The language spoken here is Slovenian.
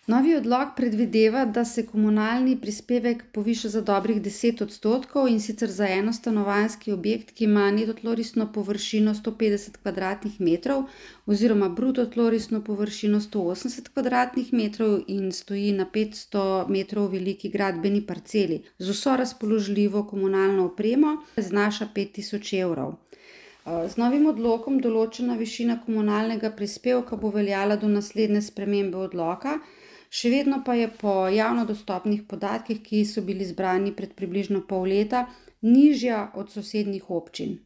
Novi odlok predvideva, da se komunalni prispevek poviša za dobrih 10%, in sicer za enostanovanjski objekt, ki ima neto tlorisno površino 150 kvadratnih metrov oziroma bruto tlorisno površino 180 kvadratnih metrov in stoji na 500 metrov veliki gradbeni parceli z vso razpoložljivo komunalno opremo, znaša 5000 evrov. Z novim odlokom določena višina komunalnega prispevka bo veljala do naslednje spremembe odloka, še vedno pa je po javno dostopnih podatkih, ki so bili zbrani pred približno pol leta, nižja od sosednjih občin.